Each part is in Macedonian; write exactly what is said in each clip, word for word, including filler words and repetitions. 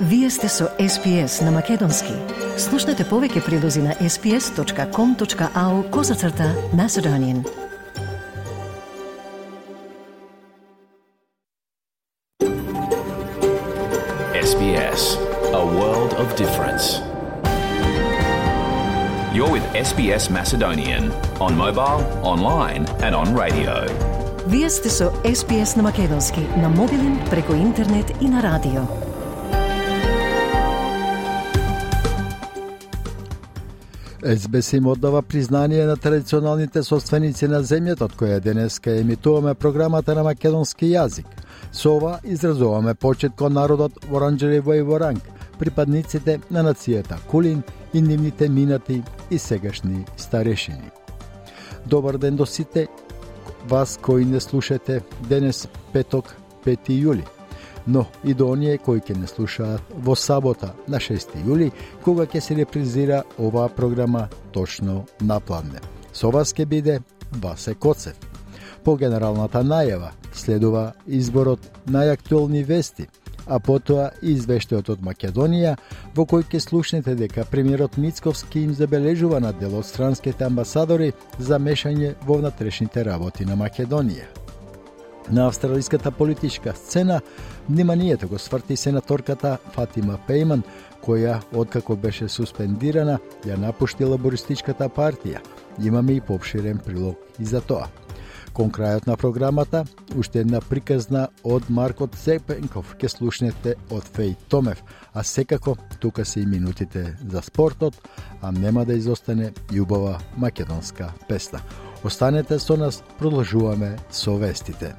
Вие сте со Ес Пи Ес на Македонски. Слушнете повеќе прилози на ес пи ес точка ком точка ау козацрта Macedonian. Ес Би Ес, a world of difference. You're with Ес Би Ес Macedonian on mobile, online and on radio. Вие сте со Ес Пи Ес на Македонски, на мобилен, преку интернет и на радио. Ес Би Ес им оддава признание на традиционалните собственици на земјата, од која денеска емитуваме програмата на македонски јазик. Со ова изразуваме почит кон народот Воранџериво и Воранг, припадниците на нацијата Кулин и нивните минати и сегашни старешини. Добар ден до сите вас кои не слушате денес петок, пети јули, но и до оние кои ќе не слушаат во сабота на шести јули, кога ќе се репризира оваа програма точно на пладне. Со вас ќе биде Васе Коцев. По генералната најава следува изборот најактуелни вести, а потоа и извештајот од Македонија, во кој ќе слушнете дека премиерот Мицковски им забележува на дел од странските амбасадори за мешање во внатрешните работи на Македонија. На австралиската политичка сцена вниманието го сврти сенаторката Фатима Пејман, која, откако беше суспендирана, ја напушти лабористичката партија. Имаме и поопширен прилог и за тоа. Кон крајот на програмата, уште една приказна од Марко Цепенков ќе слушнете од Феј Томев, а секако тука се и минутите за спортот, а нема да изостане и убава македонска песна. Останете со нас, продолжуваме со вестите.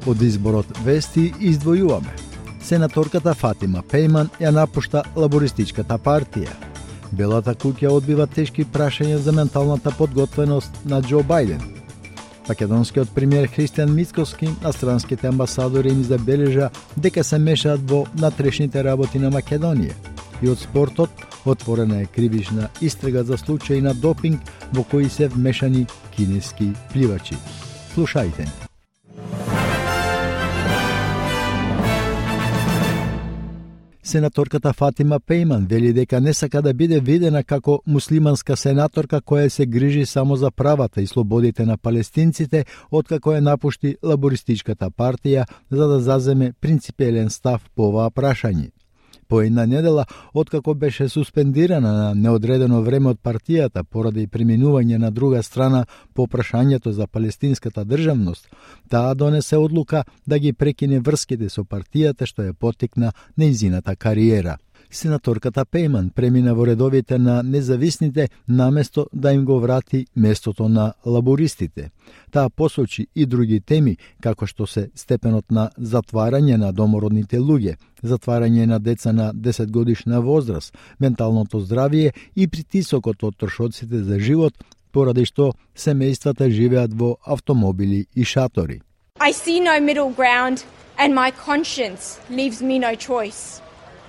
Од изборот вести издвојуваме. Сенаторката Фатима Пејман ја напушта лабористичката партија. Белата куќа одбива тешки прашања за менталната подготвеност на Џо Бајден. Македонскиот премиер Христијан Мицковски на странските амбасадори им забележа дека се мешаат во внатрешните работи на Македонија. И од спортот отворена е кривична истрага за случаи на допинг во кои се вмешани кинески пливачи. Слушајте. Сенаторката Фатима Пејман вели дека не сака да биде видена како муслиманска сенаторка која се грижи само за правата и слободите на палестинците, откако ја напушти лабористичката партија за да заземе принципиелен став по оваа прашање. По една недела, откако беше суспендирана на неодредено време од партијата поради преминување на друга страна по прашањето за палестинската државност, таа донесе одлука да ги прекине врските со партијата што ја поттикна нејзината кариера. Сенаторката Пејман премина во редовите на независните наместо да им го врати местото на лабористите. Таа посочи и други теми, како што се степенот на затварање на домородните луѓе, затварање на деца на десет годишна возраст, менталното здравје и притисокот од трошоците за живот, поради што семејствата живеат во автомобили и шатори. I see no middle ground and my conscience leaves me no choice.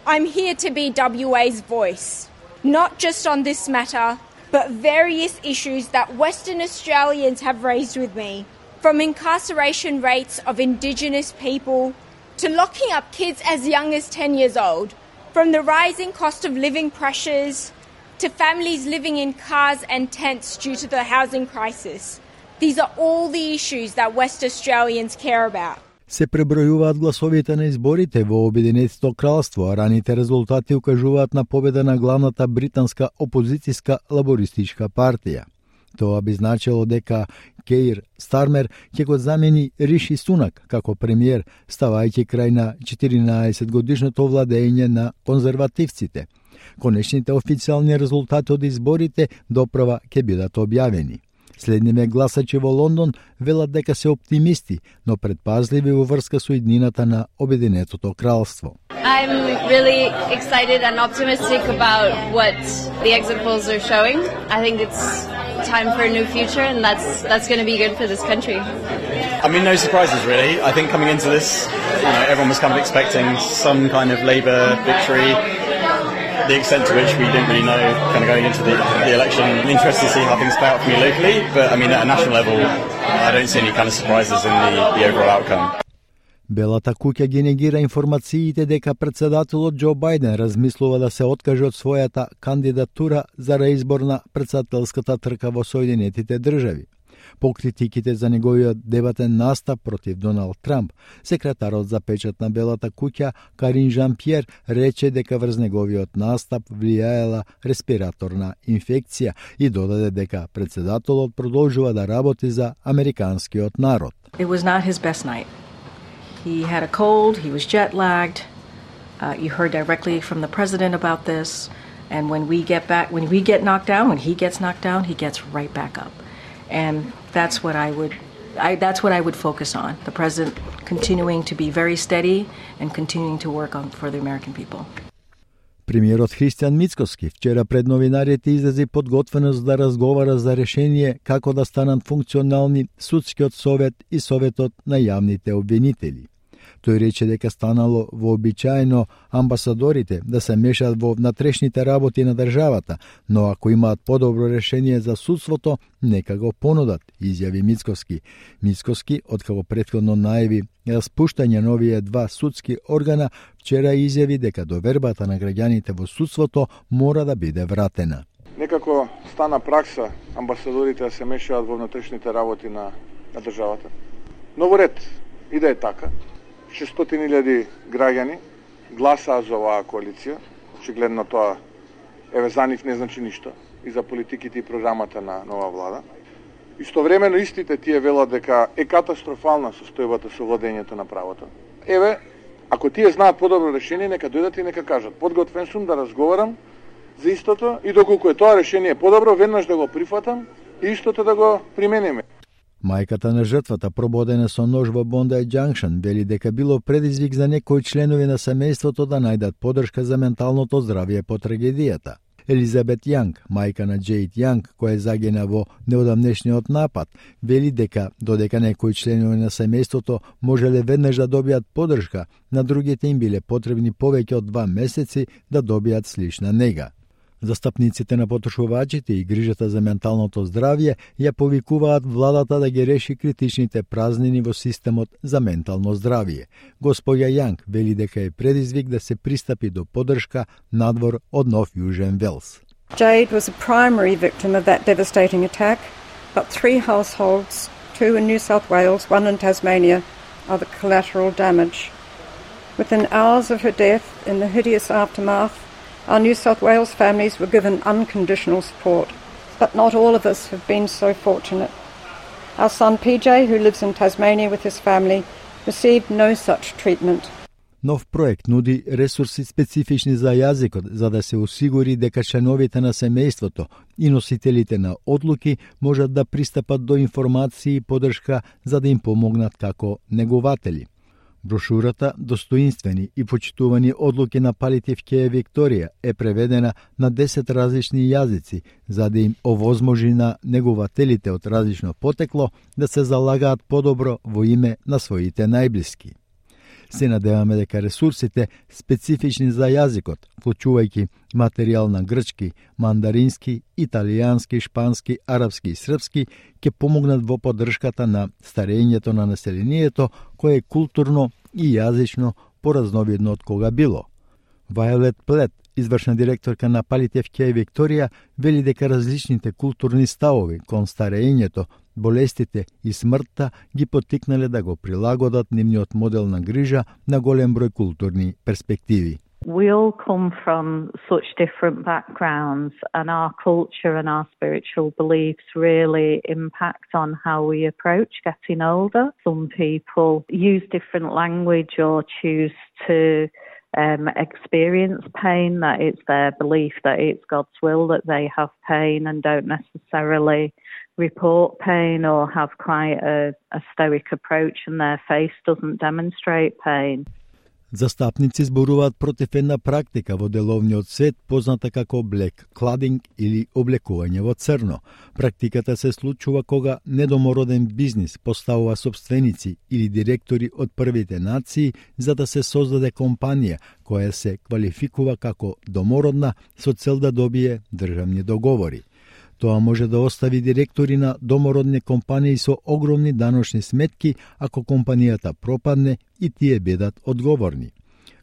I'm here to be W A's voice, not just on this matter, but various issues that Western Australians have raised with me, from incarceration rates of Indigenous people to locking up kids as young as ten years old, from the rising cost of living pressures to families living in cars and tents due to the housing crisis. These are all the issues that West Australians care about. Се пребројуваат гласовите на изборите во Обединетото кралство, а раните резултати укажуваат на победа на главната британска опозицијска лабористичка партија. Тоа би значило дека Кейр Стармер ќе го замени Риши Сунак како премиер, ставајќи крај на четиринаесет годишното владење на конзервативците. Конечните официјални резултати од изборите доправа ќе бидат објавени. Следниве гласачи во Лондон велат дека се оптимисти, но предпазливи во врска со иднината на Обединетото кралство. I'm really excited and optimistic about what the exit polls are showing. I think it's time for a new future, and that's that's going to be good for this country. I mean, no surprises really. I think coming into this, you know, everyone was kind of expecting some kind of Labour victory. the extent to which we didn't really know kind of going into the, the election. I'm interested to see how things play out for me locally, but I mean at a national level, I don't see any kind of surprises in the, the overall outcome. Белата куќа ги негира информациите дека председателот Џо Бајден размислува да се откаже од својата кандидатура за реизбор на председателската трка во Соединетите држави. По критиките за неговиот дебатен настап против Доналд Трамп, секретарот за печат на Белата куќа Карин Жан-Пјер рече дека врз неговиот настап влијаела респираторна инфекција и додаде дека председателот продолжува да работи за американскиот народ. It was not his best night. He had a cold, he was jet lagged. Uh, you heard directly from the president about this, and when we get back when we get knocked down, when he gets knocked down, he gets right back up. And that's what I would I, that's what I would focus on. The president continuing to be very steady and continuing to work on for the American people. Премиерот Христијан Мицкоски вчера пред новинарите изрази подготвеност да разговара за решение како да станат функционални судскиот совет и советот на јавните обвинители. Тој рече дека станало вообичаено амбасадорите да се мешаат во внатрешните работи на државата, но ако имаат подобро решение за судството, нека го понудат, изјави Мицкоски. Мицкоски, откако претходно најави распуштање на овие два судски органа, вчера изјави дека довербата на граѓаните во судството мора да биде вратена. Некако стана пракса амбасадорите да се мешаат во внатрешните работи на, на државата. Но во ред, и да е така, шестстотини илјади граѓани гласаа за оваа коалиција. Очигледно тоа еве за нив не значи ништо и за политиките и програмата на нова влада. Истовремено истите тие велат дека е катастрофална состојбата со владењето на правото. Еве, ако тие знаат подобро решение, нека дојдат и нека кажат. Подготвен сум да разговарам за истото и доколку е тоа решение подобро, веднаш да го прифатам и истото да го примениме. Мајката на жртвата, прободена со нож во Бондај Џанкшн, вели дека било предизвик за некои членови на семејството да најдат подршка за менталното здравје по трагедијата. Елизабет Јанг, мајка на Џејд Јанг, која загина во неодамнешниот напад, вели дека додека некои членови на семејството можеле веднаш да добијат подршка, на другите им биле потребни повеќе од два месеци да добијат слична нега. Застапниците на потрошувачите и грижата за менталното здравје ја повикуваат владата да ги реши критичните празнини во системот за ментално здравје. Господја Јанг вели дека е предизвик да се пристапи до подршка надвор од Нов Јужен Велс. Jade was a primary victim of that devastating attack, but three households, two in New South Wales, one in Tasmania, are the collateral damage. Within hours of her death, in the hideous aftermath, our New South Wales families were given unconditional support, but not all of us have been so fortunate. Our son P J, who lives in Tasmania with his family, received no such treatment. Нов проект нуди ресурси специфични за јазикот, за да се осигури дека членовите на семејството и носителите на одлуки можат да пристапат до информации и подршка за да им помогнат како негователи. Брошурата «Достоинствени и почитувани одлуки на Палиатив Кејер Викторија» е преведена на десет различни јазици, за да им овозможи на негователите од различно потекло да се залагаат подобро во име на своите најблиски. Се надеваме дека ресурсите специфични за јазикот, вклучувајќи материјал на грчки, мандарински, италијански, шпански, арапски и српски, ќе помогнат во поддршката на старењето на населението, кое е културно и јазично поразновидно од кога било. Вајолет Плет, извршна директорка на Палиатив Кејер Викторија, вели дека различните културни ставови кон старењето, болестите и смртта ги поттикнале да го прилагодат нивниот модел на грижа на голем број културни перспективи. We all come from such different backgrounds, and our culture and our spiritual beliefs really impact on how we approach getting older. Some people use different language or choose to um, experience pain, that it's their belief that it's God's will that they have pain and don't necessarily report pain or have quite a, a stoic approach and their face doesn't demonstrate pain. Застапници зборуваат против една практика во деловниот свет позната како black cladding или облекување во црно. Практиката се случува кога недомороден бизнис поставува собственици или директори од првите нации за да се создаде компанија која се квалификува како домородна со цел да добие државни договори. Тоа може да остави директори на домородни компании со огромни даночни сметки ако компанијата пропадне и тие бидат одговорни.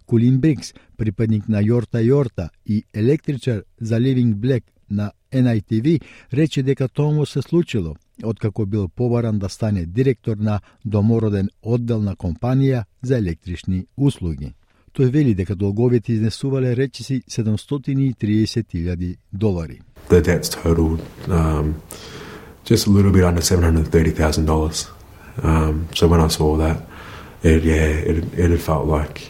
Колин Брикс, припадник на Јорта Јорта и електричар за Living Black на Ен Ај Ти Ви, рече дека тоа му се случило откако бил побаран да стане директор на домороден оддел на компанија за електрични услуги. Тој вели дека долговите изнесувале речиси седумстотини и триесет илјади долари. The debts totaled um, just a little bit under seven hundred thirty thousand dollars. Um, so when I saw that, it, yeah, it, it felt like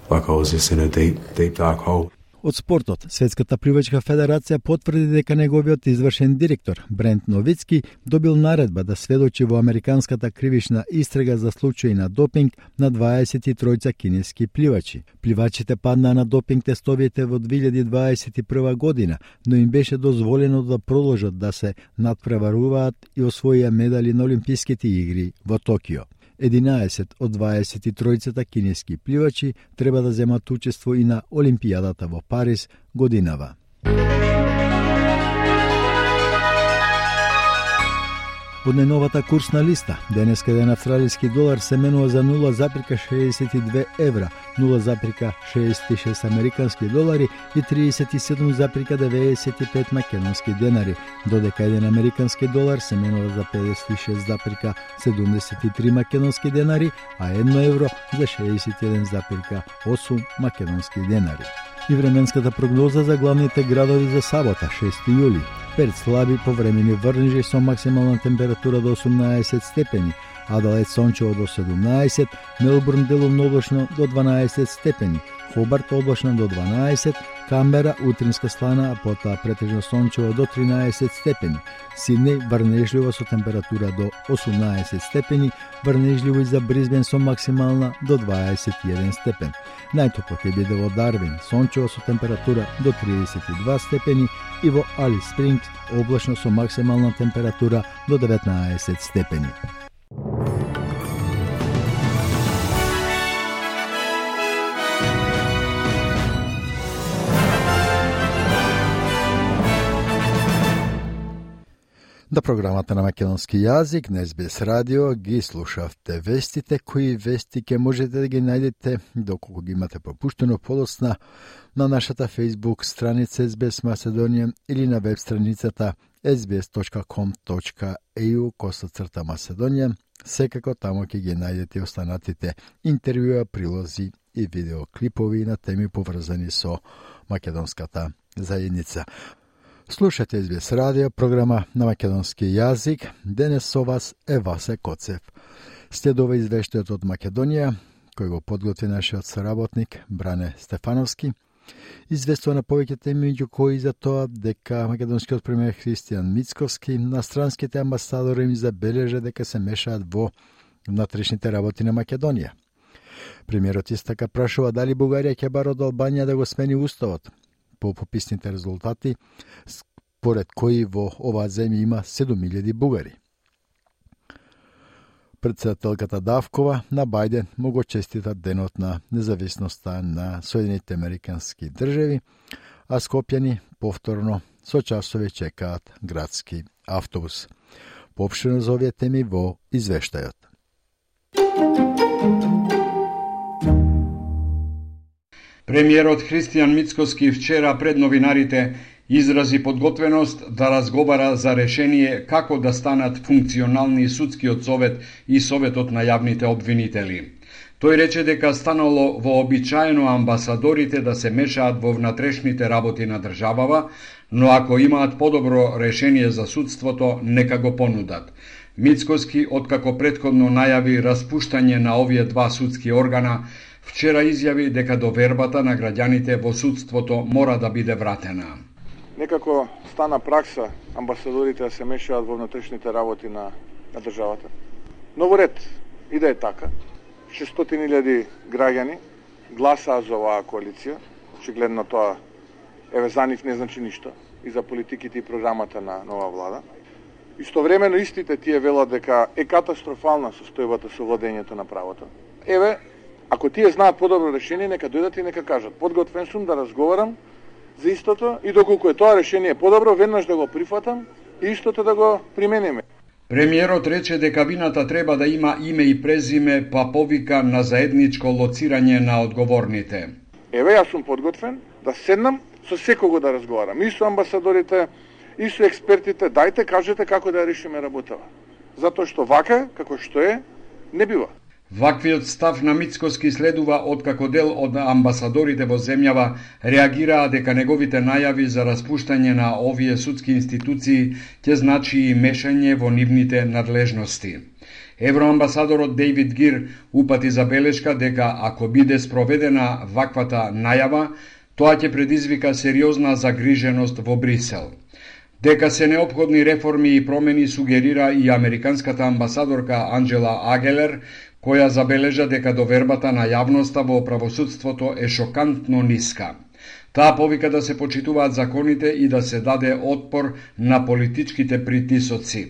like I was just in a deep, deep dark hole. Од спортот, Светската пливачка федерација потврди дека неговиот извршен директор, Брент Новицки, добил наредба да сведочи во американската кривична истрага за случаи на допинг на дваесет и тројца кинески пливачи. Пливачите паднаа на допинг тестовите во две илјади дваесет и прва година, но им беше дозволено да продолжат да се надпреваруваат и освоија медали на Олимписките игри во Токио. единаесет од дваесет и тројцата кинески пливачи треба да земат учество и на Олимпијадата во Париз годинава. Од најновата курсна листа, денеска еден австралиски долар се менува за нула запирка шеесет и две евра, нула запирка шеесет и шест американски долари и триесет и седум запирка деветдесет и пет македонски денари, додека еден американски долар се менува за педесет и шест запирка седумдесет и три македонски денари, а едно евро за шеесет и еден запирка осум македонски денари. И временската прогноза за главните градови за сабота, шести јули. Перт слаби повремени врнежи со максимална температура до осумнаесет степени, Аделаид сончево до седумнаесет, Мелбурн делумно облачно до дванаесет степени, Хобарт облачно до дванаесет, Камбера утринска слана, а потоа претежно сончево до тринаесет степени, Сиднеј врнежливо со температура до осумнаесет степени, врнежливо и за Бризбен со максимална до дваесет и еден степен. Најтопло ќе биде во Дарвин, сончево со температура до триесет и два степени и во Алис Спрингс облачно со максимална температура до деветнаесет степени. На програмата на македонски јазик на Ес Би Ес радио ги слушавте вестите, кои вести ке можете да ги најдете доколку ги имате пропуштено подоцна на нашата Facebook страница Ес Би Ес Macedonian или на веб страницата ес би ес точка ком точка е ю косацрта Macedonian. Секако тамо ќе ги најдете останатите интервјуа, прилози и видеоклипови на теми поврзани со македонската заедница. Слушате Ес Би Ес радио, програма на македонски јазик. Денес со вас е Васе Коцев. Следува извештајот од Македонија, кој го подготви нашиот соработник Бране Стефановски. Известува на повеќе теми, меѓу кои за тоа дека македонскиот премиер Христијан Мицковски на странските амбасадори им забележа дека се мешаат во внатрешните работи на Македонија. Премиерот истака прашува дали Бугарија ќе бара од Албанија да го смени уставот. По пописните резултати, според кои во оваа земја има седум илјади бугари. Председателката Давкова на Бајден му го честита денот на независноста на Соединените Американски држави, а скопјани повторно со часови чекаат градски автобус. Поопштено за овие теми во извештајот. Премиерот Христијан Мицковски вчера пред новинарите изрази подготвеност да разговара за решение како да станат функционални судскиот совет и советот на јавните обвинители. Тој рече дека станало вообичаено амбасадорите да се мешаат во внатрешните работи на државава, но ако имаат подобро решение за судството, нека го понудат. Мицковски, откако претходно најави распуштање на овие два судски органа, вчера изјави дека довербата на граѓаните во судството мора да биде вратена. Некако стана пракса амбасадорите да се мешаат во внатрешните работи на, на државата. Но во ред, и да е така, шестстотини илјади граѓани гласаа за оваа коалиција. Очигледно тоа еве за нив не значи ништо и за политиките и програмата на нова влада. Истовремено истите тие велат дека е катастрофална состојбата со владењето на правото. Еве, ако тие знаат подобро решение, нека дојдат и нека кажат. Подготвен сум да разговарам за истото и доколку е тоа решение подобро, веднаш да го прифатам и истото да го примениме. Премиерот рече дека вината треба да има име и презиме, па повика на заедничко лоцирање на одговорните. Еве, јас сум подготвен да седнам со секого да разговарам, и со амбасадорите, и со експертите, дајте кажете како да решиме работава. Затоа што вака, како што е, не бива. Ваквиот став на Мицкоски следува откако дел од амбасадорите во земјава реагираа дека неговите најави за распуштање на овие судски институции ќе значи и мешање во нивните надлежности. Евроамбасадорот Дейвид Гир упати забелешка дека ако биде спроведена ваквата најава, тоа ќе предизвика сериозна загриженост во Брисел. Дека се неопходни реформи и промени сугерира и американската амбасадорка Анджела Агелер, која забележа дека довербата на јавноста во правосудството е шокантно ниска. Таа повика да се почитуваат законите и да се даде отпор на политичките притисоци.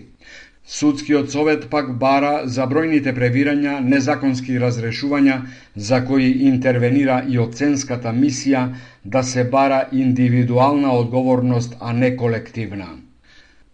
Судскиот совет пак бара за бројните превирања, незаконски разрешувања, за кои интервенира и оценската мисија, да се бара индивидуална одговорност, а не колективна.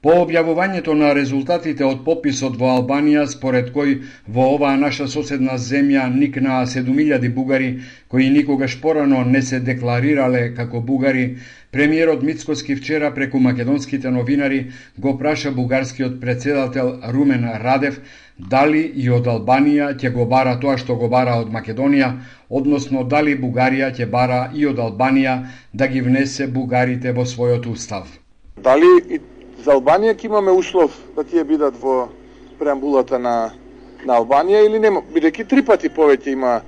По објавувањето на резултатите од пописот во Албанија, според кој во оваа наша соседна земја никнаа седум илјади бугари, кои никогаш порано не се декларирале како бугари, премиерот Мицкоски вчера преку македонските новинари го праша бугарскиот председател Румен Радев дали и од Албанија ќе го бара тоа што го бара од Македонија, односно дали Бугарија ќе бара и од Албанија да ги внесе бугарите во својот устав. Дали и за Албанија ќе имаме услов да тие бидат во преамбулата на, на Албанија или нема, бидејќи три пати повеќе има а,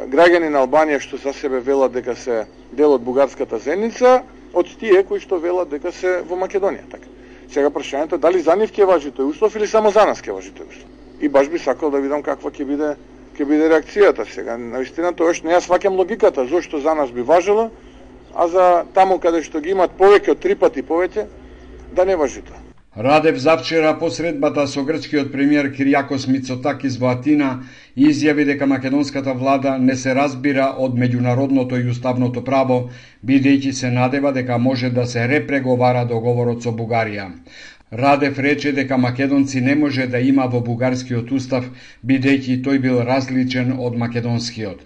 граѓани на Албанија што за себе велат дека се дел од бугарската заедница, од тие кои што велат дека се во Македонија. Така. Сега прашањето е дали за нив ќе важи тој услов или само за нас ќе важи тој услов. И баш би сакал да видам каква ќе биде ќе биде реакцијата сега. Навистина тоа што не ја сваќам логиката зошто за нас би важело, а за таму каде што ги имат повеќе од три пати повеќе да не важи тоа. Радев завчера по средбата со грчкиот премиер Кириакос Мицотакис во Атина изјави дека македонската влада не се разбира од меѓународното и уставното право, бидејќи се надева дека може да се репреговара договорот со Бугарија. Радев рече дека македонци не може да има во бугарскиот устав, бидејќи тој бил различен од македонскиот.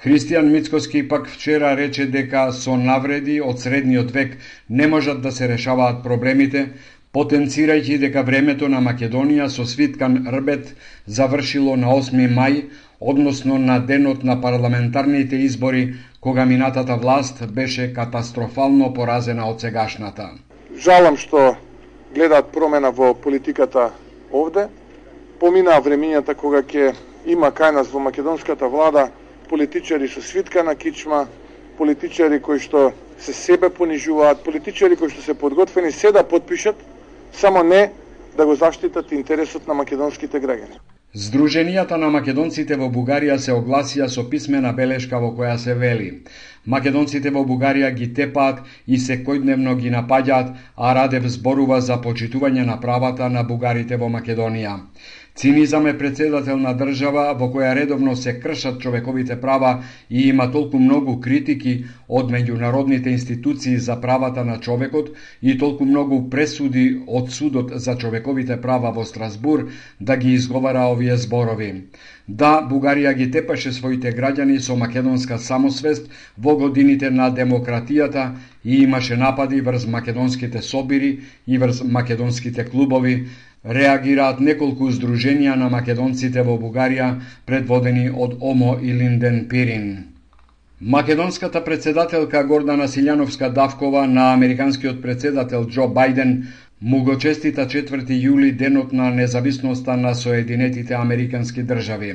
Христијан Мицкоски пак вчера рече дека со навреди од средниот век не можат да се решаваат проблемите, потенцирајќи дека времето на Македонија со свиткан рбет завршило на осми мај, односно на денот на парламентарните избори, кога минатата власт беше катастрофално поразена од сегашната. Жалам што гледаат промена во политиката овде. Поминаа времињата кога ќе има кај нас во македонската влада политичари со свиткана кичма, политичари кои што се себе понижуваат, политичари кои што се подготвени се да подпишат, само не да го заштитат интересот на македонските граѓани. Сдруженијата на македонците во Бугарија се огласија со писмена белешка во која се вели: македонците во Бугарија ги тепаат и секојдневно ги напаѓаат, а Радев зборува за почитување на правата на бугарите во Македонија. Цинизам е председател на држава во која редовно се кршат човековите права и има толку многу критики од меѓународните институции за правата на човекот и толку многу пресуди од судот за човековите права во Страсбур да ги изговара овие зборови. Да, Бугарија ги тепаше своите граѓани со македонска самосвест во годините на демократијата и имаше напади врз македонските собири и врз македонските клубови, реагираат неколку здруженија на македонците во Бугарија, предводени од Омо и Линден Пирин. Македонската председателка Гордана Силјановска-Давкова на американскиот председател Џо Бајден му го честита четврти јули денот на независноста на Соединетите Американски држави.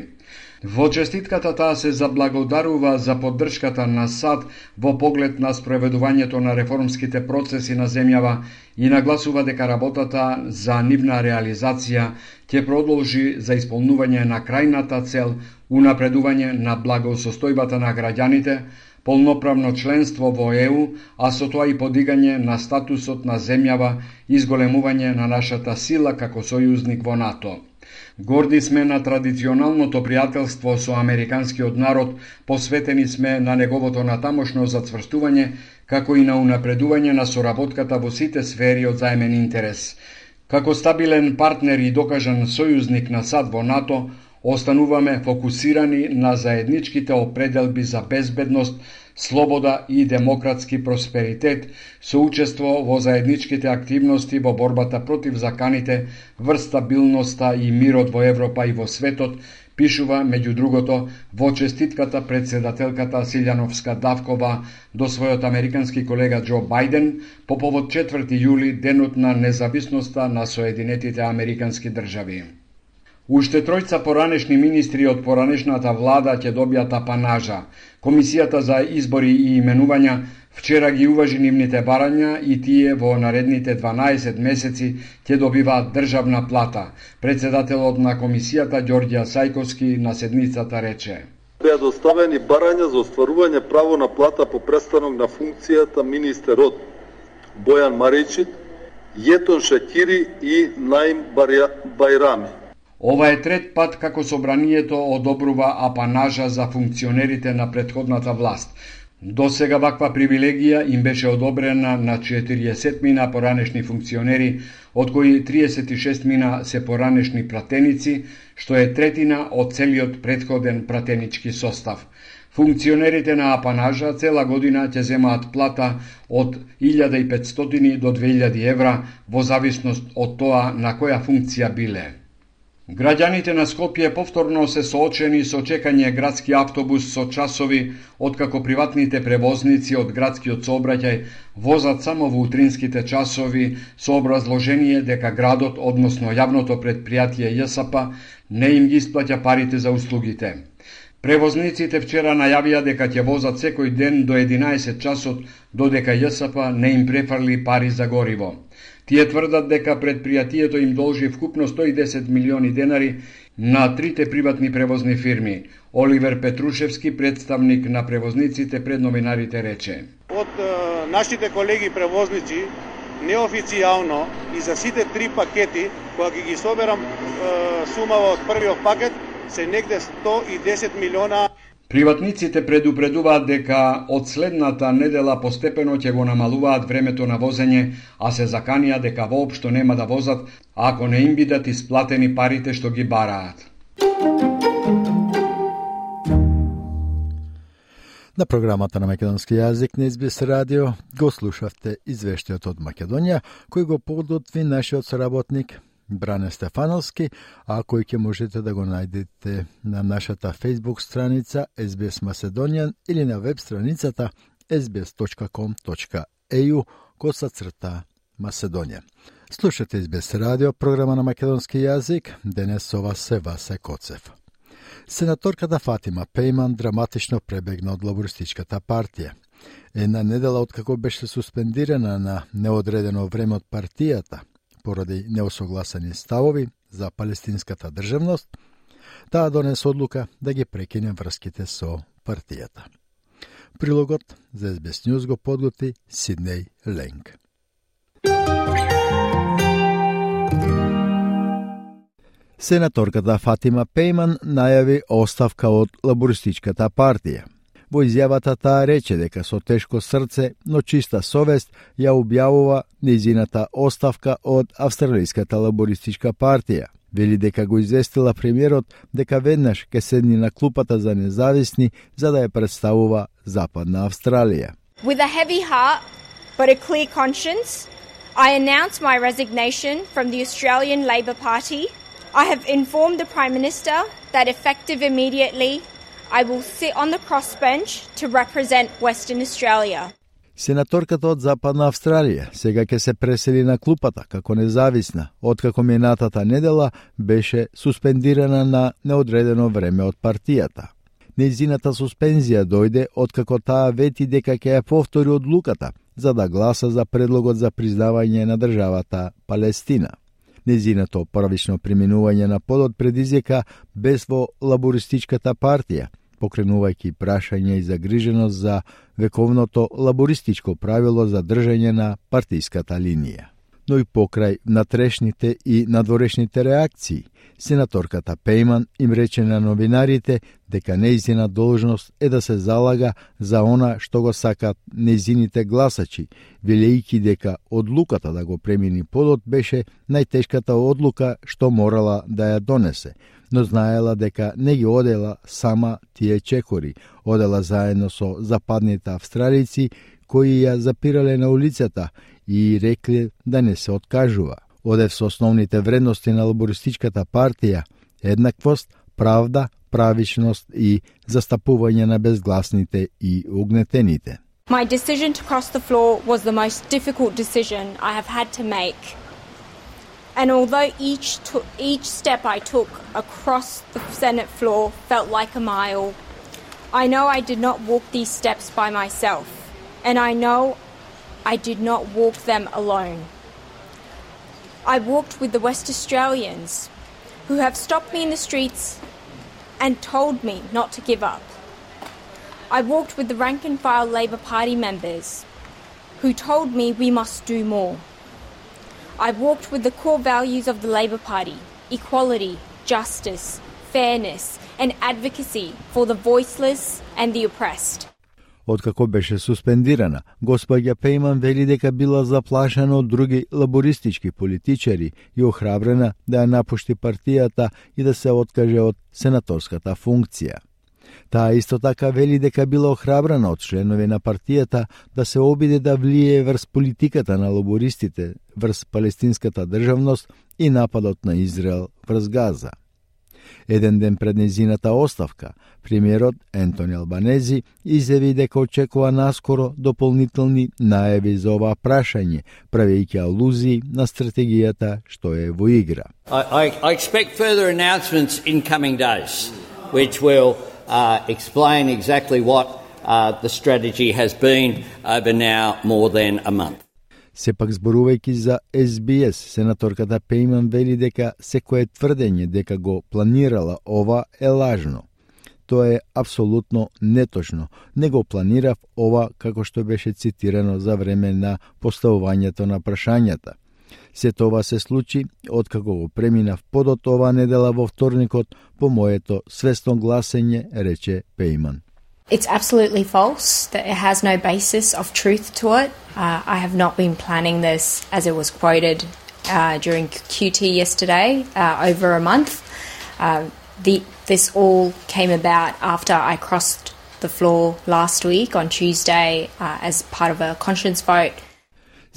Во честитката таа се заблагодарува за поддршката на САД во поглед на спроведувањето на реформските процеси на земјава и нагласува дека работата за нивна реализација ќе продолжи за исполнување на крајната цел унапредување на благосостојбата на граѓаните, полноправно членство во Е У, а со тоа и подигање на статусот на земјава и зголемување на нашата сила како сојузник во НАТО. Горди сме на традиционалното пријателство со американскиот народ, посветени сме на неговото натамошно зацврстување, како и на унапредување на соработката во сите сфери од заемен интерес. Како стабилен партнер и докажан сојузник на САД во НАТО, остануваме фокусирани на заедничките определби за безбедност, слобода и демократски просперитет, со учество во заедничките активности во борбата против заканите, врз стабилноста и мирот во Европа и во светот, пишува, меѓу другото, во честитката председателката Силјановска Давкова до својот американски колега Џо Бајден по повод четврти јули, денот на независноста на Соединетите Американски држави. Уште тројца поранешни министри од поранешната влада ќе добијат апанажа. Комисијата за избори и именувања вчера ги уважи нивните барања и тие во наредните дванаесет месеци ќе добиваат државна плата. Председателот на комисијата Ѓорѓе Сајковски на седницата рече: Беа доставени барања за остварување право на плата по престанок на функцијата министерот Бојан Маричит, Јетон Шакири и Наим Бајрами. Ова е трет пат како собранието одобрува апанажа за функционерите на претходната власт. До сега ваква привилегија им беше одобрена на четириесет мина поранешни функционери, од кои триесет и шест мина се поранешни пратеници, што е третина од целиот претходен пратенички состав. Функционерите на апанажа цела година ќе земаат плата од илјада и петстотини до две илјади евра, во зависност од тоа на која функција биле. Граѓаните на Скопје повторно се соочени со чекање градски автобус со часови, откако приватните превозници од градскиот сообраќај возат само во утринските часови со образложение дека градот, односно јавното предпријатие Ја С П, не им ги исплаќа парите за услугите. Превозниците вчера најавија дека ќе возат секој ден до единаесет часот, додека Ја С П не им префарли пари за гориво. Тие тврдат дека предпријатието им должи вкупно сто и десет милиони денари на трите приватни превозни фирми. Оливер Петрушевски, представник на превозниците пред новинарите, рече: Од е, нашите колеги превозници, неофицијално и за сите три пакети, кога ги ги соберам е, сумава од првиот пакет, се негде сто и десет милиона. Приватниците предупредуваат дека од следната недела постепено ќе го намалуваат времето на возење, а се заканија дека воопшто нема да возат ако не им бидат исплатени парите што ги бараат. На програмата на македонски јазик на Ес Би Ес радио го слушавте извештајот од Македонија, кој го подготви нашиот соработник Бране Стефановски, а кој ќе можете да го најдете на нашата Facebook страница Ес Би Ес Macedonian или на веб страницата ес би ес точка ком точка е ю косацрта Macedonија. Слушате Ес Би Ес радио, програма на македонски јазик, денес со вас се Васе Коцев. Сенаторката Фатима Пејман драматично пребегна од лабористичката партија. Една недела откако беше суспендирана на неодредено време од партијата, поради неосогласени ставови за палестинската државност, таа донесе одлука да ги прекине врските со партијата. Прилогот за Ес Би Ес News го подготви Сиднеј Ленг. Сенаторката Фатима Пејман најави оставка од лабористичката партија. Во изјавата таа рече дека со тешко срце, но чиста совест ја објавува нејзината оставка од Австралиската лабористичка партија. Вели дека го известила премиерот дека веднаш ќе седни на клупата за независни за да ја представува Западна Австралија. With a heavy heart, but a clear conscience, I announce my resignation from the Australian Labor Party. I have informed the Prime Minister that effective immediately, I will sit on the crossbench to represent Western Australia. Сенаторката од Западна Австралија сега ќе се пресели на клупата како независна, откако минатата недела беше суспендирана на неодредено време од партијата. Нејзината суспензија дојде откако таа вети дека ќе ја повтори одлуката за да гласа за предлогот за признавање на државата Палестина. Нејзиното првично преминување на подот предизвика бес во лабористичката партија, покренувајќи прашање и загриженост за вековното лабористичко правило за држање на партиската линија. Но и покрај натрешните и надворешните реакции, сенаторката Пейман им рече на новинарите дека нејзина должност е да се залага за она што го сакат нејзините гласачи, велејќи дека одлуката да го премини подот беше најтешката одлука што морала да ја донесе, но знаела дека не ги одела сама тие чекори, одела заедно со западните австралици кои ја запирале на улицата и рекле да не се откажува. Одев со основните вредности на лабористичката партија: еднаквост, правда, правичност и застапување на безгласните и угнетените. My decision to cross the floor was the most difficult decision I have had to make. And although each to- each step I took across the Senate floor felt like a mile, I know I did not walk these steps by myself, and I know I did not walk them alone. I walked with the West Australians who have stopped me in the streets and told me not to give up. I walked with the rank and file Labor Party members who told me we must do more. I walked with the core values of the Labor Party: equality, justice, fairness, and advocacy for the voiceless and the oppressed. Откако беше суспендирана, госпоѓа Пейман вели дека била заплашена од други лабористички политичари и охрабрена да ја напушти партијата и да се откаже од сенаторската функција. Таа исто така вели дека била охрабрена од членови на партијата да се обиде да влие врз политиката на лабористите врз палестинската државност и нападот на Израел врз Газа. Еден ден пред нејзината оставка, премиерот Ентони Албанези изјави дека очекува наскоро дополнителни најави за ова прашање, правејќи алузии на стратегијата што е во игра. I, I, I expect further announcements in coming days, which will uh, explain exactly what uh, the strategy has been over now more than a month. Сепак зборувајќи за Ес Би Ес, сенаторката Пейман вели дека секое тврдење дека го планирала ова е лажно. Тоа е апсолутно неточно. Не го планирав ова како што беше цитирано за време на поставувањето на прашањата. Се тоа се случи откако го преминав подот ова недела во вторникот по моето свесно гласење, рече Пейман. It's absolutely false. That it has no basis of truth to it. Uh, I have not been planning this as it was quoted uh, during Q T yesterday, uh, over a month. Uh, the, this all came about after I crossed the floor last week on Tuesday uh, as part of a conscience vote.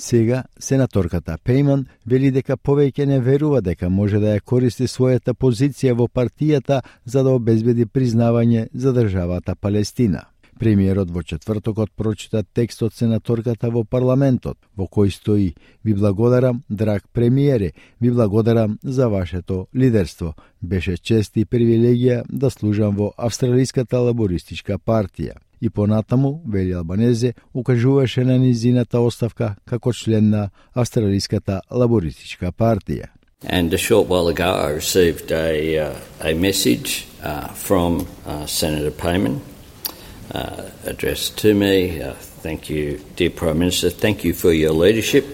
Сега, сенаторката Пейман вели дека повеќе не верува дека може да ја користи својата позиција во партијата за да обезбеди признавање за државата Палестина. Премиерот во четвртокот прочита текст од сенаторката во парламентот, во кој стои: "Ви благодарам, драг премиере, ви благодарам за вашето лидерство. Беше чест и привилегија да служам во Австралиската лабористичка партија." И понатаму, вели Албанезе, укажуваше на низината оставка како член на Австралиската лабористичка партија. And a short while ago I received a, uh, a message uh, from uh, Senator Payman uh, addressed to me. Uh, thank you, dear Prime Minister. Thank you for your leadership.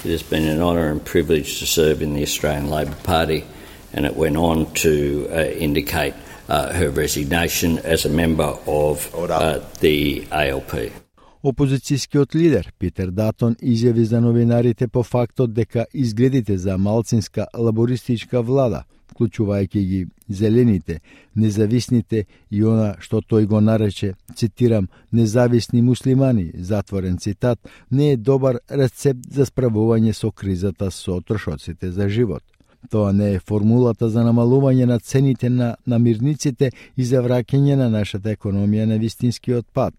It has been an honour and privilege to serve in the Australian Labor Party. And it went on to uh, indicate Uh, her resignation as a member of uh, the A L P. Опозицијскиот лидер Питер Датон изјави за новинарите по фактот дека изгледите за малцинска лабористичка влада, вклучувајќи ги зелените, независните и она што тој го нарече, цитирам, независни муслимани, затворен цитат, не е добар рецепт за справување со кризата со трошоците за живот. Тоа не е формулата за намалување на цените на намирниците и за враќање на нашата економија на вистинскиот пат.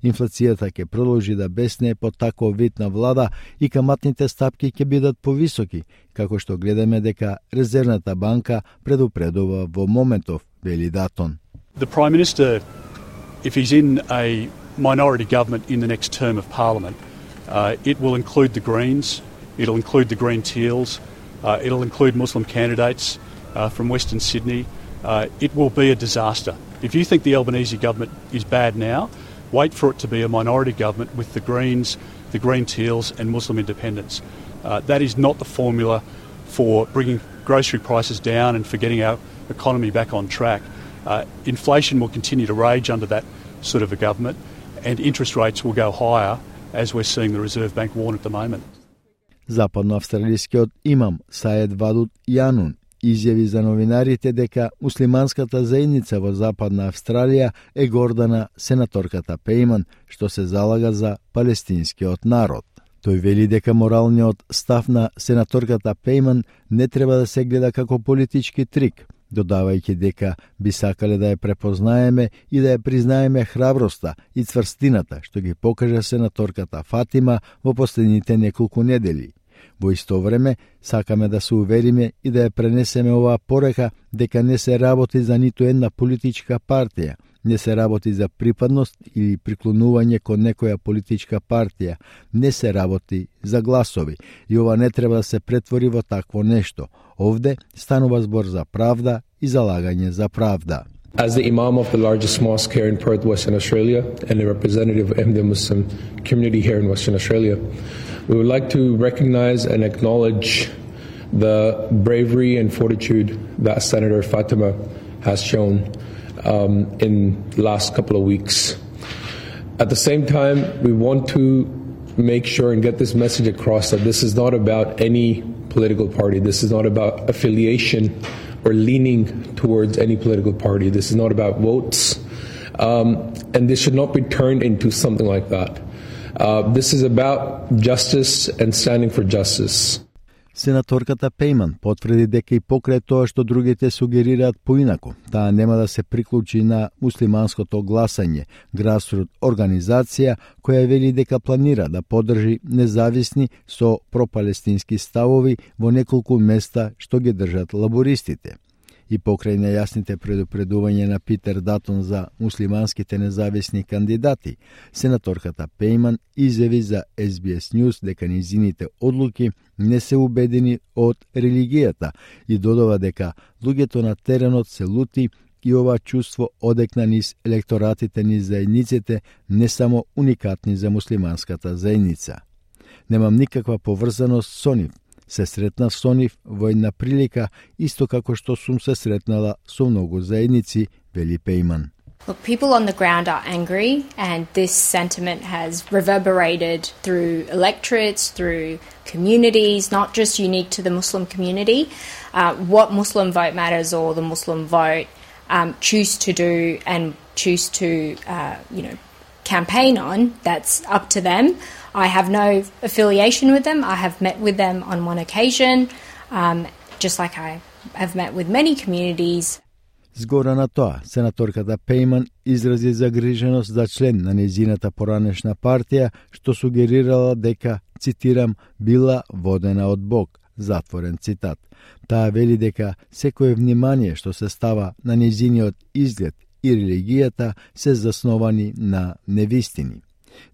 Инфлацијата ќе продолжи да бесне под таков вид на влада и каматните стапки ќе бидат повисоки, како што гледаме дека Резервната банка предупредува во моментов, вели Датон. The Prime Minister, if he's in a minority government in the next term of Parliament, uh, it will include the Greens, it'll include the Green Teals, uh, it'll include Muslim candidates uh, from Western Sydney. Uh, it will be a disaster. If you think the Albanese government is bad now, wait for it to be a minority government with the Greens, the Green Teals and Muslim independents. Uh, that is not the formula for bringing grocery prices down and for getting our economy back on track. Uh, inflation will continue to rage under that sort of a government and interest rates will go higher, as we're seeing the Reserve Bank warn at the moment. Западноавстралискиот имам Саед Вадут Јанун изјави за новинарите дека муслиманската заедница во Западна Австралија е горда на сенаторката Пейман, што се залага за палестинскиот народ. Тој вели дека моралниот став на сенаторката Пейман не треба да се гледа како политички трик, додавајќи дека би сакале да ја препознаеме и да ја признаеме храброста и цврстината што ги покажа сенаторката Фатима во последните неколку недели. Во исто време, сакаме да се увериме и да ја пренесеме оваа порека дека не се работи за ниту една политичка партија, не се работи за припадност или приклонување кон некоја политичка партија, не се работи за гласови и ова не треба да се претвори во такво нешто. Овде станува збор за правда и залагање за правда. As the Imam of the largest mosque here in Perth, Western Australia, and a representative of the Muslim community here in Western Australia, we would like to recognize and acknowledge the bravery and fortitude that Senator Fatima has shown um, in the last couple of weeks. At the same time, we want to make sure and get this message across that this is not about any political party. This is not about affiliation or leaning towards any political party. This is not about votes. Um, and this should not be turned into something like that. Uh, this is about justice and standing for justice. Сенаторката Пейман потврди дека и покрај тоа што другите сугерираат поинаку, таа нема да се приклучи на муслиманското гласање, грасрут организација која вели дека планира да поддржи независни со пропалестински ставови во неколку места што ги држат лабористите. И покрај нејасните предупредувања на Питер Датон за муслиманските независни кандидати, сенаторката Пейман изјави за Ес Би Ес News дека низините одлуки не се убедени од религијата и додава дека луѓето на теренот се лути и ова чувство одекна низ електоратите низ заедниците не само уникатни за муслиманската заедница. Немам никаква поврзаност со нив. Се сретнав со нив во една прилика, исто како што сум се сретнала со многу заедници, вели Пейман. Look, people on the ground are angry, and this sentiment has reverberated through electorates, through communities, not just unique to the Muslim community. Uh, what Muslim Vote Matters or the Muslim Vote um, choose to do and choose to, uh, you know, campaign on, that's up to them. I have no affiliation with them. I have met with them on one occasion, um, just like I have met with many communities. Згора на тоа, сенаторката Пейман изрази загриженост за член на незината поранешна партија, што сугерирала дека, цитирам, била водена од Бог, затворен цитат. Таа вели дека секое внимание што се става на незиниот изглед и религијата се засновани на невистини.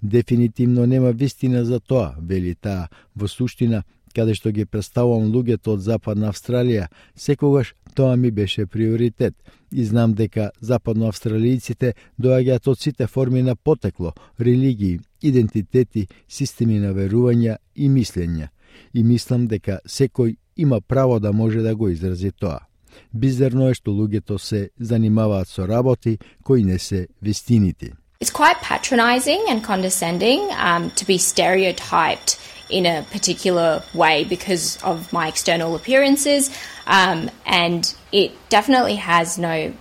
Дефинитивно нема вистина за тоа, вели таа, во суштина, каде што ги представувам луѓето од Западна Австралија, секогаш тоа ми беше приоритет и знам дека западноавстралијците доаѓаат од сите форми на потекло, религии, идентитети, системи на верувања и мислења. И мислам дека секој има право да може да го изрази тоа. Бизерно е што луѓето се занимаваат со работи кои не се вистините. It's quite patronising and condescending um, to be stereotyped in a particular way because of my external appearances, um, and it definitely has no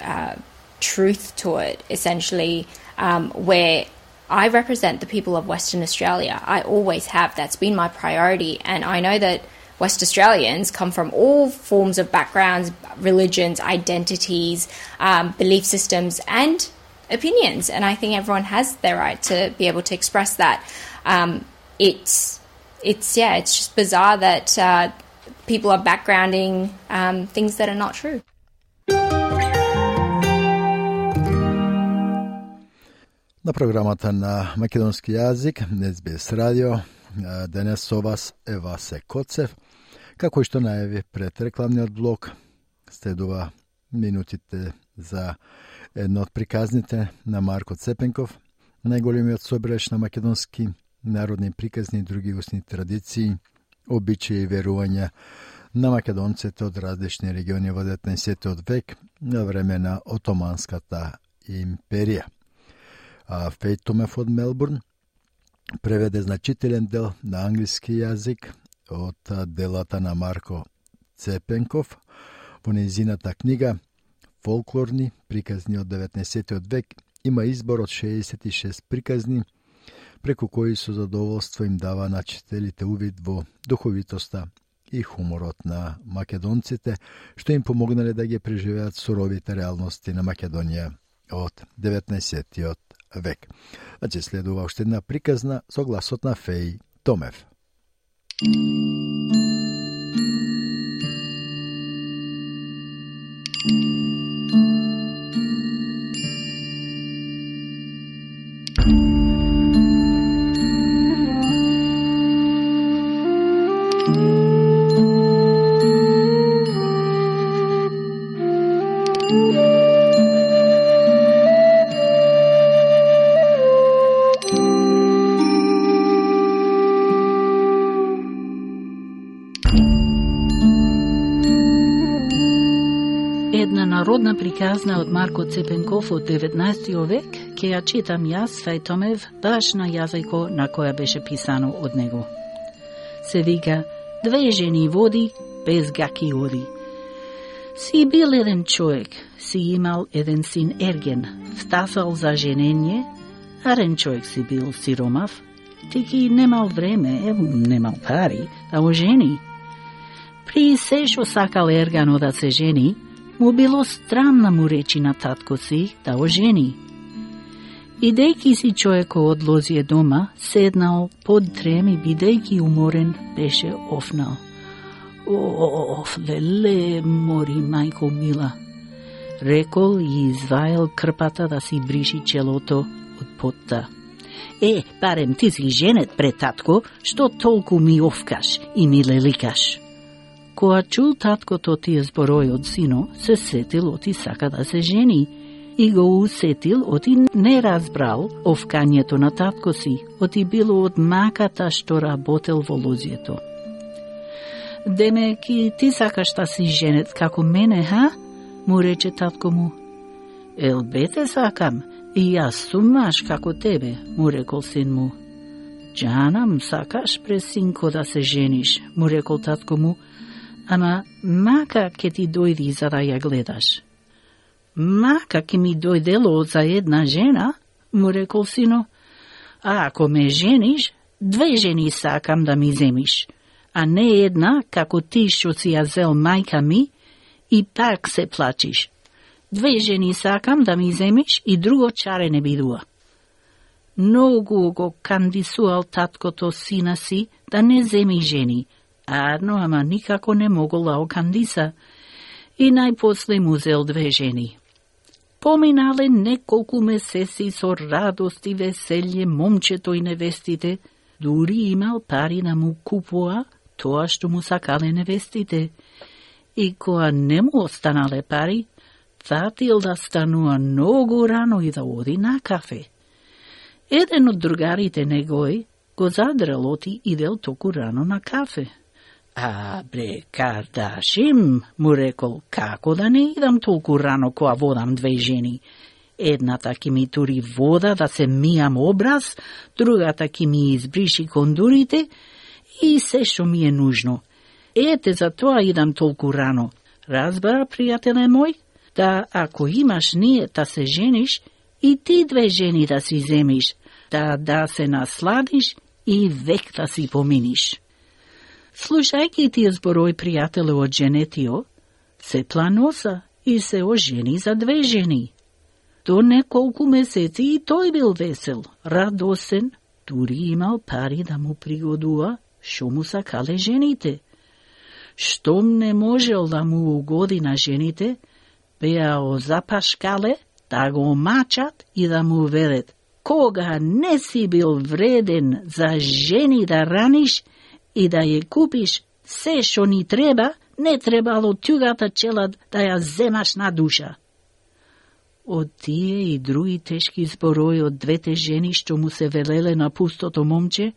uh, truth to it, essentially, um, where I represent the people of Western Australia. I always have. That's been my priority, and I know that West Australians come from all forms of backgrounds, religions, identities, um, belief systems, and opinions, and I think everyone has their right to be able to express that. Um, it's, it's yeah, it's just bizarre that uh, people are backgrounding um, things that are not true. На програмата на македонски јазик, Ес Би Ес радио, денес со вас е Васе Коцев. Како што најави пред рекламниот блок, следува минутите за едно од приказните на Марко Цепенков, најголемиот собирач на македонски народни приказни и други устни традиции, обичаи и верувања на македонците од различни региони во деветнаесеттиот век на време на Отоманската империја. Фејт Томев од Мелбурн преведе значителен дел на англиски јазик од делата на Марко Цепенков во нејзината книга Фолклорни приказни од деветнаесеттиот век. Има избор од шеесет и шест приказни, преку кои со задоволство им дава на читателите увид во духовитоста и хуморот на македонците, што им помогнале да ги преживеат суровите реалности на Македонија од деветнаесеттиот век. Значи следува уште една приказна со гласот на Феј Томев. Народна приказна од Марко Цепенков од деветнаесеттиот век, ке ја читам јас, Феј Томев, баш на јазико на која беше писано од него. Се вика, две жени води, без гаки оди. Си бил еден човек, си имал еден син Ерген, втасал за женење, арен човек си бил сиромав, тики немал време, немал пари, да ожени. При се шо сакал Ергано да се жени, му било странна му речи на татко си да ожени. Идејќи си човеко одлозие дома, седнал под трем и бидејќи уморен, беше офнал. Оф, леле, мори, мајко мила. Рекол и изваел крпата да си бриши челото од потта. Е, барем ти си женет пред татко, што толку ми офкаш и ми леликаш. Која чул таткото тие зборои од сино, се сетил оти сака да се жени и го усетил оти не разбрал овкањето на татко си, оти било од маката што работел во лозието. Демеки ти сакаш да си женет како мене, ха? Му рече татко му. Ел бете сакам, и јас сум маж како тебе, му рекол син му. Джанам, сакаш през синко да се жениш, му рекол татко му. Ама мака ке ти дојди за да ја гледаш. Мака ке ми дојдело за една жена, му рекол сино. А ако ме жениш, две жени сакам да ми земиш, а не една како ти што си ја зел мајка ми и пак се плачиш. Две жени сакам да ми земиш и друго чаре не бидува. Многу го кандисуал таткото сина си да не земи жени, арно, ама никако не могол да окандиса и најпосле му зел две жени. Поминале неколку месеци со радост и веселје момчето и невестите, дури имал пари да му купува тоа што му сакале невестите. И која не му останале пари, фатил да станува многу рано и да оди на кафе. Еден од другарите негој го задрал оти идел току рано на кафе. А, бре, Кардашим, му рекол, како да не идам толку рано која водам две жени. Едната ки ми тури вода да се мијам образ, другата ки ми избриши кондурите и се што ми е нужно. Ете, за тоа идам толку рано. Разбара, пријателе мој, да ако имаш ние да се жениш, и ти две жени да си земиш, да да се насладиш и век да си поминиш. Слушајќи тие зборои пријателе од женетио, се планоса и се ожени за две жени. До неколку месеци и тој бил весел, радосен, дури имал пари да му пригодува што му сакале жените. Штом не можел да му угоди на жените, беа озапашкале да го мачат и да му велат: кога не си бил вреден за жени да раниш и да ја купиш се што ни треба, не требало тюгата челад да ја земаш на душа. Од тие и други тешки зборои од двете жени што му се велеле на пустото момче,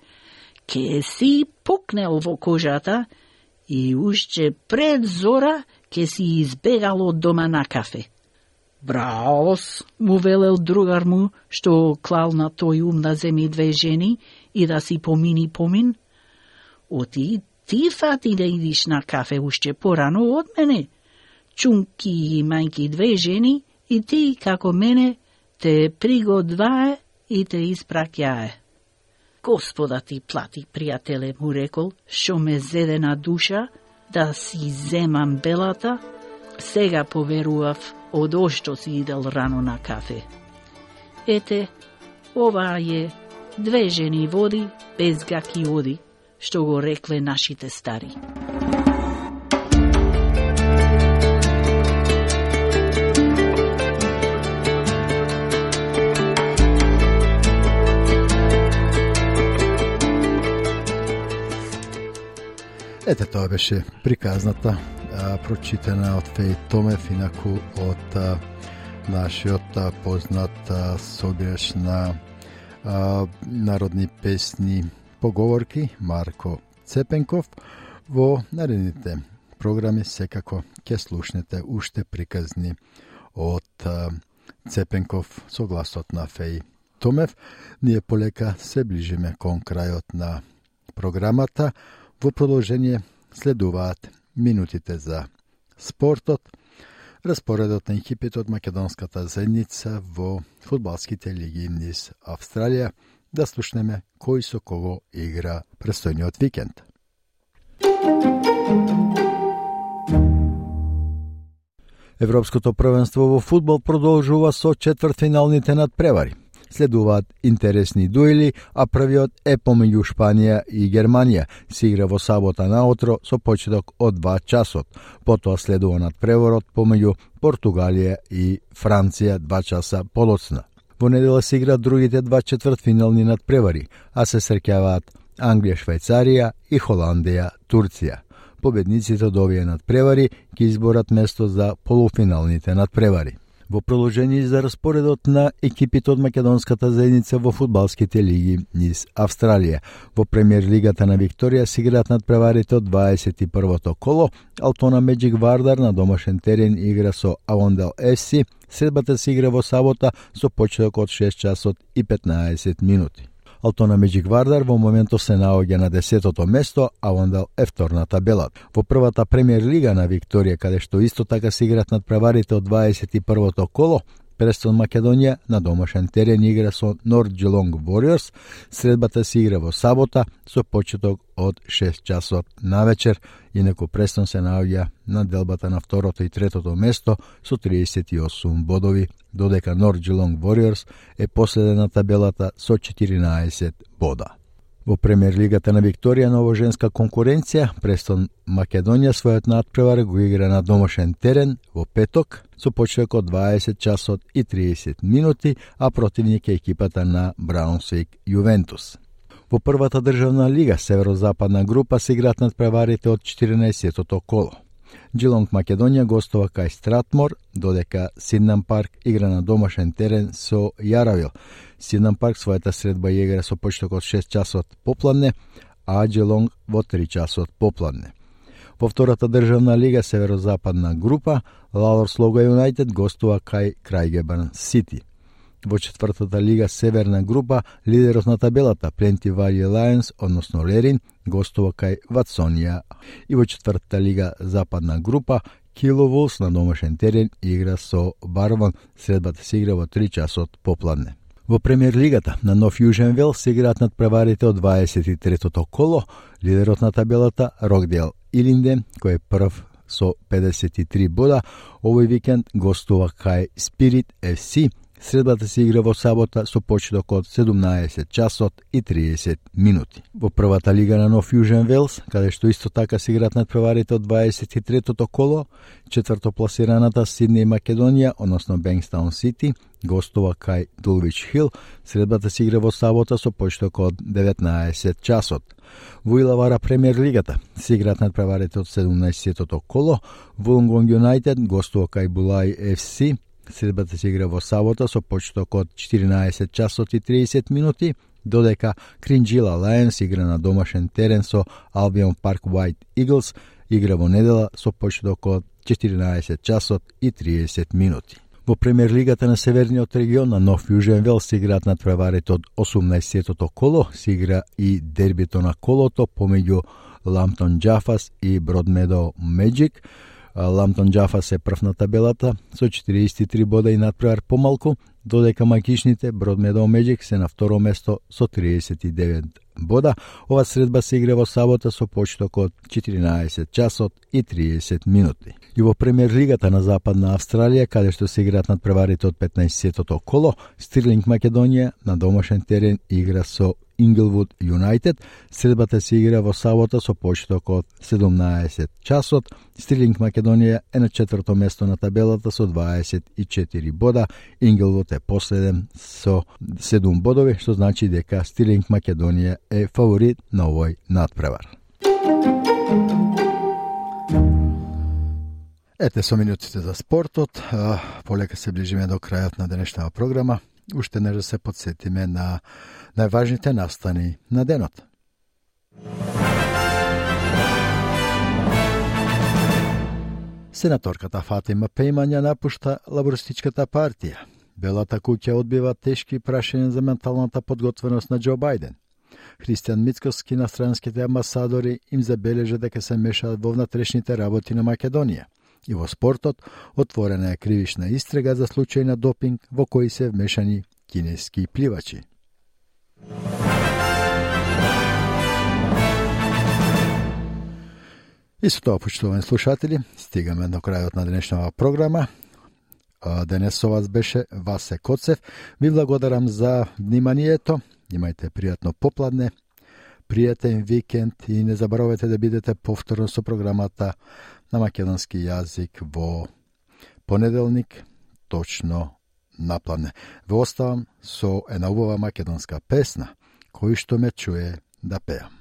ке си пукнел во кожата и уште пред зора ке си избегал од дома на кафе. Браос, му велел другар му, што клал на тој ум да земи две жени и да си помини помин. Оти ти фати да идиш на кафе уште порано од мене. Чунки и мајки две жени и ти, како мене, те пригодвае и те испраќае. Господа ти плати, пријателе, му рекол, што ме зеде на душа да си земам белата, сега поверував од ошто си идел рано на кафе. Ете, ова е две жени води, без гаки оди, што го рекле нашите стари. Ете, тоа беше приказната, а, прочитана од Феј Томев, инаку од а, нашиот а, познат а, собираш на а, народни песни поговорки Марко Цепенков. Во наредните програми секако ќе слушнете уште приказни од а, Цепенков со гласот на Феј Томев. Ние полека се ближиме кон крајот на програмата. Во продолжение следуваат минутите за спортот, распоредот на екипите од македонската заедница во фудбалските лиги низ Австралија, да слушнеме кој со кого игра престојниот викенд. Европското првенство во фудбал продолжува со четвртфиналните надпревари. Следуваат интересни дуели, а првиот е помеѓу Шпанија и Германија. Се игра во сабота наутро со почеток од два часот. Потоа следува надпреворот помеѓу Португалија и Франција два часа подоцна. Во недела се игра другите два четвртфинални надпревари, а се среќаваат Англија, Швајцарија и Холандија, Турција. Победниците од овие надпревари ќе изборат место за полуфиналните надпревари. Во продолжение за распоредот на екипите од македонската заедница во фудбалските лиги низ Австралија. Во премиер лигата на Викторија се играат надпреварите од дваесет и првото коло. Алтона Меджик Вардар на домашен терен игра со Авондел еф си. Средбата се игра во сабота со почеток од шест часот и петнаесет минути. Алтона Меджик Вардар во моментот се наоѓа на десетото место, а Авондел е втор на табелата. Во првата премиер лига на Викторија, каде што исто така се играат надпреварите од дваесет и првото коло, Престон Македонија на домашен терен игра со Норд Джелонг Warriors. Средбата се игра во сабота со почеток од шест часот навечер, инаку Престон се наоѓа на делбата на второто и третото место со триесет и осум бодови, додека Норд Джелонг Warriors е последен на табелата со четиринаесет бода. Во премиер лигата на Викторија на женска конкуренција, Престон Македонија својот надпревар го игра на домашен терен во петок со почеток од дваесет часот и триесет минути, а противник е екипата на Браунсвик Јувентус. Во првата државна лига, северозападна група, се играат надпреварите од четирнаесеттото коло. Джилонг Македонија гостува кај Стратмор, додека Сиднам Парк игра на домашен терен со Јаравил. Сиднам Парк својата средба игра со почеток од шест часот попладне, а Джилонг во три часот попладне. Во втората државна лига, северозападна група, Лалорс Лога Юнайтед гостува кај Крајгебарн Сити. Во четвртата лига, северна група, лидерот на табелата Пленти Вали Лајонс, односно Лерин, гостува кај Ватсонија. И во четвртата лига, западна група, Кило Вулс на домашен терен игра со Барвон. Средбата се игра во три часот попладне. Во премиер лигата на Нов Јужен Вел се играат надпреварите од дваесет и третото коло. Лидерот на табелата Рокдейл Илинден, кој е прв со педесет и три бода, овој викенд гостува кај Спирит еф си. Средбата се игра во сабота со почеток од седумнаесет часот и триесет минути. Во првата лига на Нов Јужен Велс, каде што исто така се играат надпреварите од дваесет и третото коло, четвртопласираната Сиднеј Македонија, односно Бенкстаун Сити, гостува кај Дулвич Хил. Средбата се игра во сабота со почеток од деветнаесет часот. Во Илавара премиер лигата се играат надпреварите од седумнаесеттото коло, Вулонгонг Юнайтед гостува кај Булај еф си. Средбата се игра во сабота со почеток од четиринаесет часот и триесет минути, додека Кринџила Лајонс игра на домашен терен со Албион Парк White Eagles, игра во недела со почеток од четиринаесет часот и триесет минути. Во премиер лигата на Северниот регион на Нов Јужен Велс се играат надпреварите од осумнаесеттото коло, се игра и дербито на колото помеѓу Ламптон Џафас и Бродмедоу Меджик. Ламптон Џафас е прв на табелата со четириесет и три бода и надпревар помалку, додека макишните Бродмедоу Меджик се на второ место со триесет и девет бода. Ова средба се игра во сабота со почеток од четиринаесет часот и триесет минути. И во премиер лигата на Западна Австралија, каде што се играат надпреварите од петнаесеттото коло, Стирлинг Македонија на домашен терен игра со Инглвуд Юнайтед. Средбата се игра во сабота со почеток од седумнаесет часот. Стирлинг Македонија е на четврто место на табелата со дваесет и четири бода. Инглвуд е последен со седум бодови, што значи дека Стирлинг Македонија е фаворит на овој надпревар. Ете со минутите за спортот. Полека се ближиме до крајот на денешната програма. Уште не да се подсетиме на најважните настани на денот. Сенаторката Фатима Пејмања напушта лабористичката партија. Белата куќа одбива тешки прашања за менталната подготвеност на Џо Бајден. Христијан Мицкоски на странските амбасадори им забележа дека се мешаат во внатрешните работи на Македонија. И во спортот отворена е кривична истрага за случај на допинг во кои се вмешани кинески пливачи. И со тоа, почитувани слушатели, стигаме до крајот на денешната програма. Денес со вас беше Васе Коцев. Ви благодарам за вниманието. Имајте пријатно попладне, пријатен викенд и не заборавајте да бидете повторно со програмата на македонски јазик во понеделник, точно напладне. Ве оставам со една убава македонска песна, кој што ме чуе да пеам.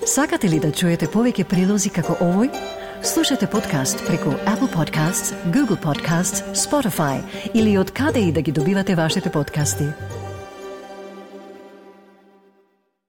Сакате ли да чуете повеќе прилози како овој? Слушате подкаст преку Apple Podcasts, Google Podcasts, Spotify или од каде и да ги добивате вашите подкасти.